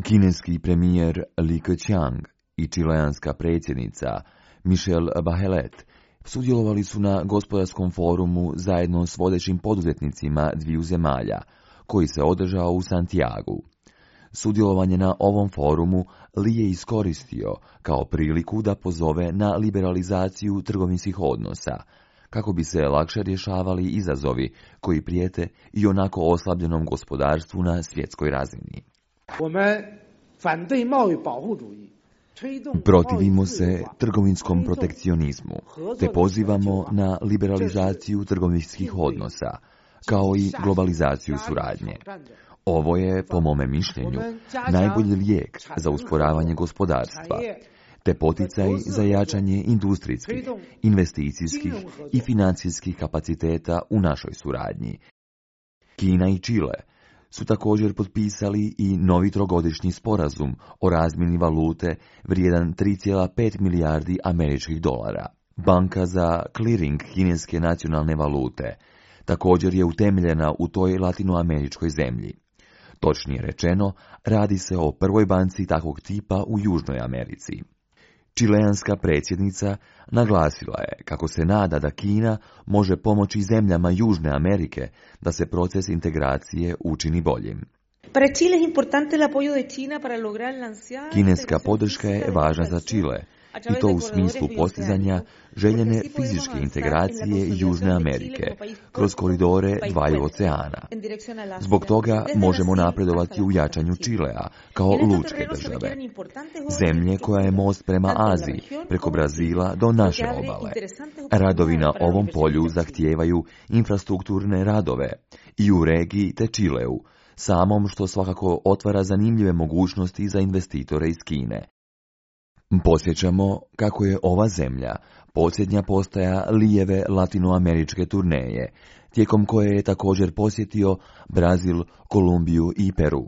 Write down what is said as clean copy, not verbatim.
Kineski premijer Li Keqiang i čileanska predsjednica Michelle Bachelet sudjelovali su na gospodarskom forumu zajedno s vodećim poduzetnicima dviju zemalja, koji se održao u Santiagu. Sudjelovanje na ovom forumu Li je iskoristio kao priliku da pozove na liberalizaciju trgovinskih odnosa, kako bi se lakše rješavali izazovi koji prijete i onako oslabljenom gospodarstvu na svjetskoj razini. Protivimo se trgovinskom protekcionizmu, te pozivamo na liberalizaciju trgovinskih odnosa, kao i globalizaciju suradnje. Ovo je, po mome mišljenju, najbolji lijek za usporavanje gospodarstva, te poticaj za jačanje industrijskih, investicijskih i financijskih kapaciteta u našoj suradnji. Kina i Čile su također potpisali i novi trogodišnji sporazum o razmjeni valute vrijedan 3,5 milijardi američkih dolara. Banka za clearing kineske nacionalne valute također je utemeljena u toj latinoameričkoj zemlji. Točnije rečeno, radi se o prvoj banci takvog tipa u Južnoj Americi. Čileanska predsjednica naglasila je kako se nada da Kina može pomoći zemljama Južne Amerike da se proces integracije učini boljim. Kineska podrška je važna za Čile, i to u smislu postizanja željene fizičke integracije Južne Amerike kroz koridore dvaju oceana. Zbog toga možemo napredovati u jačanju Čilea kao lučke države, zemlje koja je most prema Aziji, preko Brazila do naše obale. Radovi na ovom polju zahtijevaju infrastrukturne radove i u regiji te Čileu, samom što svakako otvara zanimljive mogućnosti za investitore iz Kine. Podsjećamo kako je ova zemlja posljednja postaja Lijeve latinoameričke turneje, tijekom koje je također posjetio Brazil, Kolumbiju i Peru.